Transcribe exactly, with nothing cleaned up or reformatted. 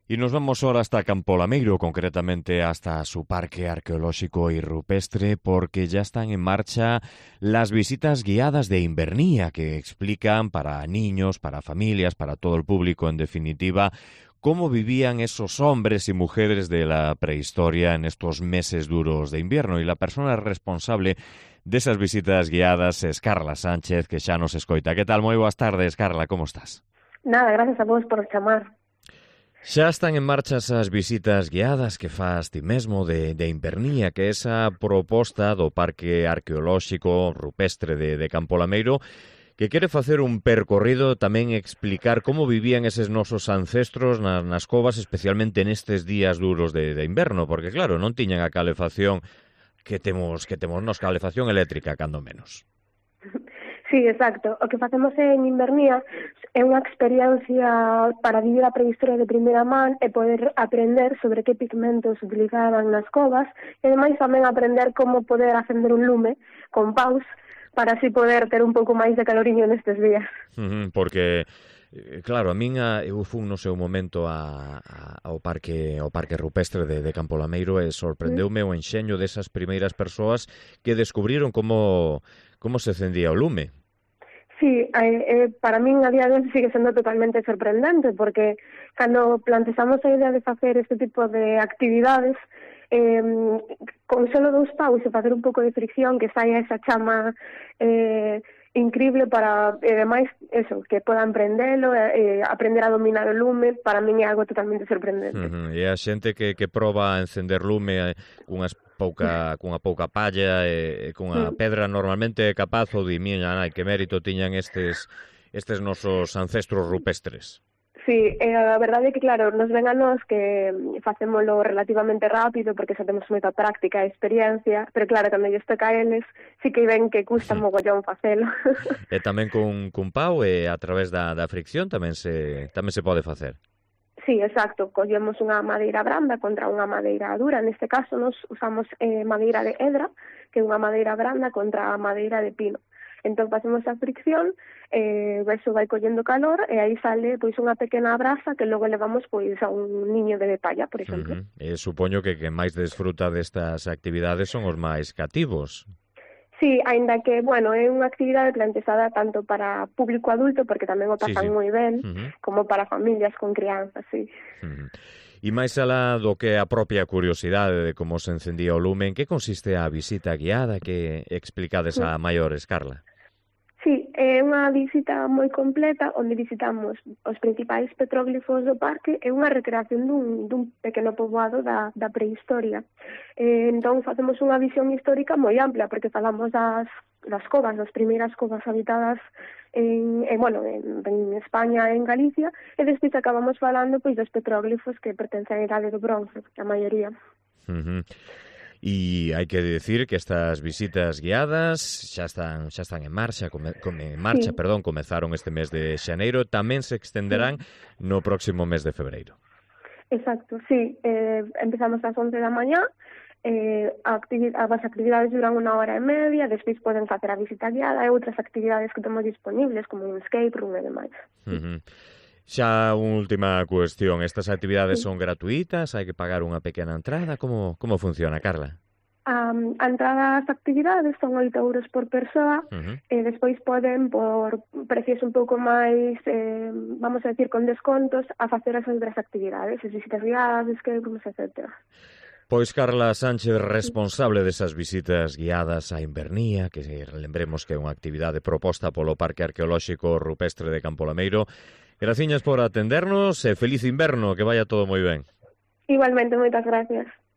Y nos vamos ahora hasta Campo Lameiro, concretamente hasta su parque arqueológico y rupestre, porque ya están en marcha las visitas guiadas de Invernía, que explican para niños, para familias, para todo el público en definitiva, cómo vivían esos hombres y mujeres de la prehistoria en estos meses duros de invierno. Y la persona responsable de esas visitas guiadas es Carla Sánchez, que xa nos escoita. Que tal? Moi boas tardes, Carla, como estás? Nada, gracias a vos por chamar. Xa están en marcha esas visitas guiadas que faz ti mesmo de, de Invernía, que é esa proposta do Parque Arqueolóxico Rupestre de, de Campo Lameiro, que quere facer un percorrido, tamén explicar como vivían eses nosos ancestros nas, nas covas, especialmente nestes días duros de, de inverno, porque claro, non tiñan a calefacción que temos que temos nos, calefacción eléctrica, cando menos. Sí, exacto. O que facemos en Invernía é unha experiencia para vivir a prehistoria de primeira man e poder aprender sobre que pigmentos utilizaban nas covas e ademais tamén aprender como poder acender un lume con paus para así poder ter un pouco máis de caloriño nestes días. Uh-huh, porque claro, a min a, eu fun no seu momento a, a, ao parque ao parque rupestre de, de Campo Lameiro e sorprendeume o enxeño desas primeiras persoas que descubriron como como se encendía o lume. Sí, eh, eh, para min a día de hoxe sigue sendo totalmente sorprendente porque cando plantexamos a idea de facer este tipo de actividades eh, con solo dous paus e facer un pouco de fricción que saia esa chama eh, increíble para, e demais, eso, que podan prendelo, eh, aprender a dominar o lume, para min é algo totalmente sorprendente. Uh-huh. E a xente que, que proba a encender lume eh, cunhas pouca, cunha pouca palla e, e cunha uh-huh. pedra normalmente é capaz ou di, miña nai, que mérito tiñan estes, estes nosos ancestros rupestres. Sí, eh, a verdade é que, claro, nos ven a nós que facémolo relativamente rápido porque xa temos moita práctica e experiencia, pero claro, cando lles toca a eles, sí que ven que custa mogollón facelo. E tamén con, con pau e a través da, da fricción tamén se, tamén se pode facer. Sí, exacto. Collemos unha madeira branda contra unha madeira dura. Neste caso, nos usamos eh, madeira de edra, que é unha madeira branda contra a madeira de pino. Entón, facemos a fricción, eh, eso vai collendo calor, e aí sale pois unha pequena brasa que logo levamos pois a un niño de palla, por exemplo. Uh-huh. E supoño que quen máis desfruta destas actividades son os máis cativos. Sí, aínda que, bueno, é unha actividade plantexada tanto para público adulto, porque tamén o pasan sí, sí. moi ben, uh-huh. como para familias con crianzas, sí. Uh-huh. E máis alá do que a propia curiosidade de como se encendía o lume, en que consiste a visita guiada que explicades a maiores, Carla? Sí, é unha visita moi completa onde visitamos os principais petróglifos do parque e unha recreación dun, dun pequeno poboado da, da prehistoria. Eh, entón, facemos unha visión histórica moi ampla porque falamos das, das covas, das primeiras covas habitadas en, en, bueno, en, en España e en Galicia e despois acabamos falando pois dos petróglifos que pertencen á idade do bronce, a maioría. Uh-huh. E hai que decir que estas visitas guiadas xa están xa están en marcha, come, come, en marcha, sí. perdón, comezaron este mes de xaneiro, tamén se extenderán sí. no próximo mes de febreiro. Exacto, sí, eh, empezamos ás once da mañá, eh, a activi- as actividades duran unha hora e media, despois poden facer a visita guiada e outras actividades que temos disponibles, como un escape room e demais. Uh-huh. Xa unha última cuestión, estas actividades sí. son gratuitas, hai que pagar unha pequena entrada, como como funciona, Carla? Um, a entrada ás actividades son oito euros por persoa, uh-huh. e despois poden, por precios un pouco máis, eh, vamos a decir, con descontos, a facer as outras actividades, as visitas guiadas, escape rooms, etcétera. Pois Carla Sánchez, responsable desas visitas guiadas a Invernía, que lembremos que é unha actividade proposta polo Parque Arqueolóxico Rupestre de Campo Lameiro. Graciñas por atendernos e feliz inverno, que vaya todo moi ben. Igualmente, moitas gracias.